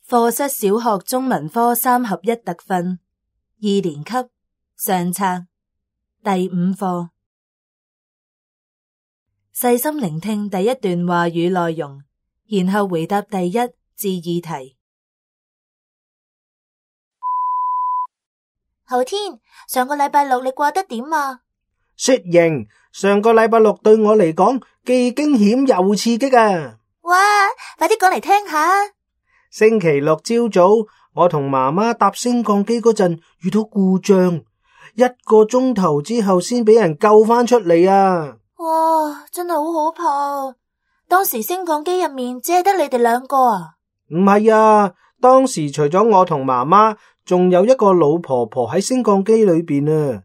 課室小學中文科3合1特訓2年級上冊第5課。細心聆聽第一段話語內容，然後回答第1至2題。浩天，上個禮拜六你過得點啊？雪瑩，上個禮拜六對我嚟講既驚險又刺激啊！哇，快啲講嚟聽下。星期六朝早，我同媽媽搭升降機嗰陣遇到故障，1個鐘頭之後先俾人救返出嚟啊！哇，真係好可怕啊！當時升降機入面只係得你哋2個啊？唔係啊，當時除咗我同媽媽，仲有一個老婆婆喺升降機裏邊啊！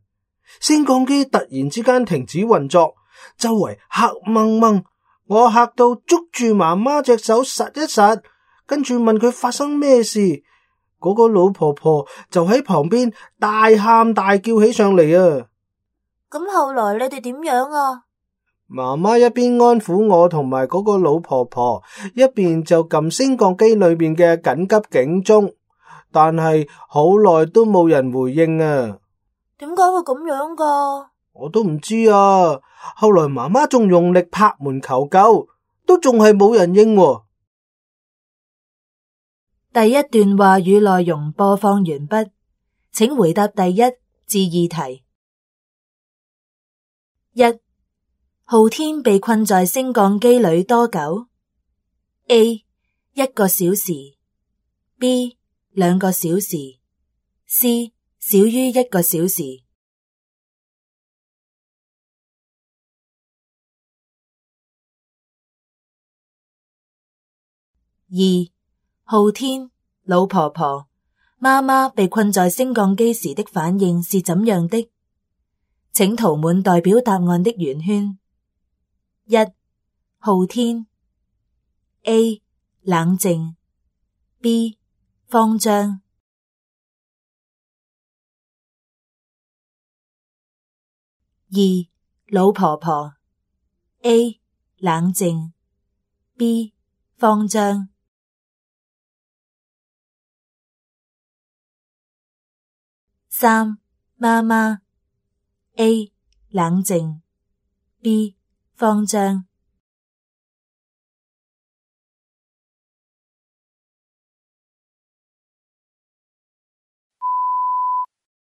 升降機突然之間停止運作，周圍黑掹掹，我嚇到捉住媽媽隻手實一實。跟住問佢發生咩事，嗰個老婆婆就喺旁邊大喊大叫起上嚟啊！咁後來你哋點樣啊？媽媽一邊安撫我同埋嗰個老婆婆，一邊就撳升降機裏面嘅緊急警鐘，但係好耐都冇人回應啊！點解會咁樣噶？我都唔知啊！後來媽媽仲用力拍門求救，都仲係冇人應喎。第一段話語內容播放完畢，請回答第1至2題。1. 浩天被困在升降機裏多久？ A. 1個小時 B. 2個小時 C. 少於1個小時。2. 浩天、老婆婆、媽媽被困在升降機時的反應是怎樣的？請塗滿代表答案的圓圈。1. 浩天 A. 冷靜 B. 慌張 2. 老婆婆 A. 冷靜 B. 慌張 3. 媽媽 A. 冷靜 B. 慌張